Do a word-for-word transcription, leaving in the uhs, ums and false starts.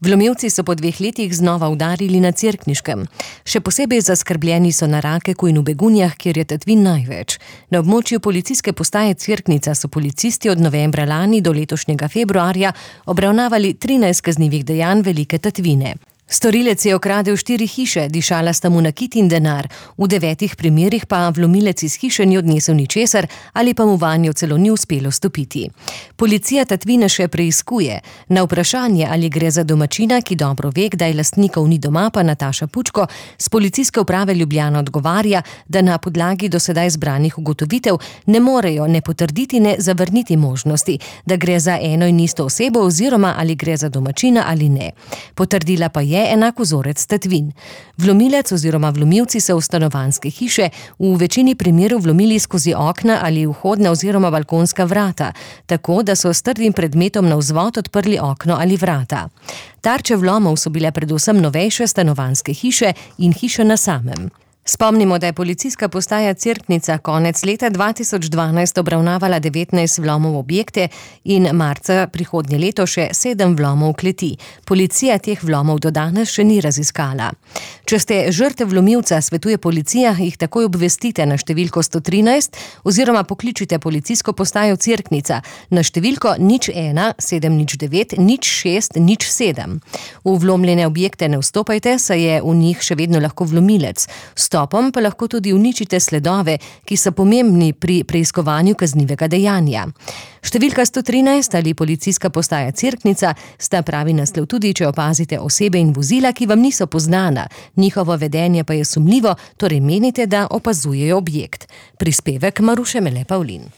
Vlomilci so po dveh letih znova udarili na Cerkniškem. Še posebej zaskrbljeni so na Rakeku in v Begunjah, kjer je tatvin največ. Na območju policijske postaje Cerknica so policisti od novembra lani do letošnjega februarja obravnavali trinajst kaznivih dejanj velike tatvine. Storilec je okradel štiri hiše, dišala sta mu nakit in denar. V devetih primerih pa vlomilec iz hiše ni odnesel ničesar ali pa mu vanjo celo ni uspelo stopiti. Policija tatvine še preiskuje. Na vprašanje, ali gre za domačina, ki dobro ve, kdaj lastnikov ni doma, pa Nataša Pučko z Policijske uprave Ljubljana odgovarja, da na podlagi do sedaj zbranih ugotovitev ne morejo ne potrditi, ne zavrniti možnosti, da gre za eno in isto osebo oziroma ali gre za domačina ali ne. Potrdila pa je je enak vzorec tatvin. Vlomilec oziroma vlomilci so v stanovanjske hiše v večini primerov vlomili skozi okna ali vhodna oziroma balkonska vrata, tako da so s trdim predmetom na vzvod odprli okno ali vrata. Tarče vlomov so bile predvsem novejše stanovanjske hiše in hiše na samem. Spomnimo, da je policijska postaja Cerknica konec leta dva tisoč dvanajst obravnavala devetnajst vlomov v objekte in marca prihodnje leto še sedem vlomov v kleti. Policija teh vlomov do danes še ni raziskala. Če ste žrtev vlomilca, svetuje policija, jih takoj obvestite na številko sto trinajst oziroma pokličite policijsko postajo Cerknica na številko nič ena sedem nič devet nič šest nič sedem. V vlomljene objekte ne vstopajte, saj je v njih še vedno lahko vlomilec. Stopom pa lahko tudi uničite sledove, ki so pomembni pri preiskovanju kaznivega dejanja. Številka sto trinajst ali policijska postaja Cerknica sta pravi naslov tudi, če opazite osebe in vozila, ki vam niso poznana. Njihovo vedenje pa je sumljivo, torej menite, da opazujejo objekt. Prispevek Maruše Mele Pavlin.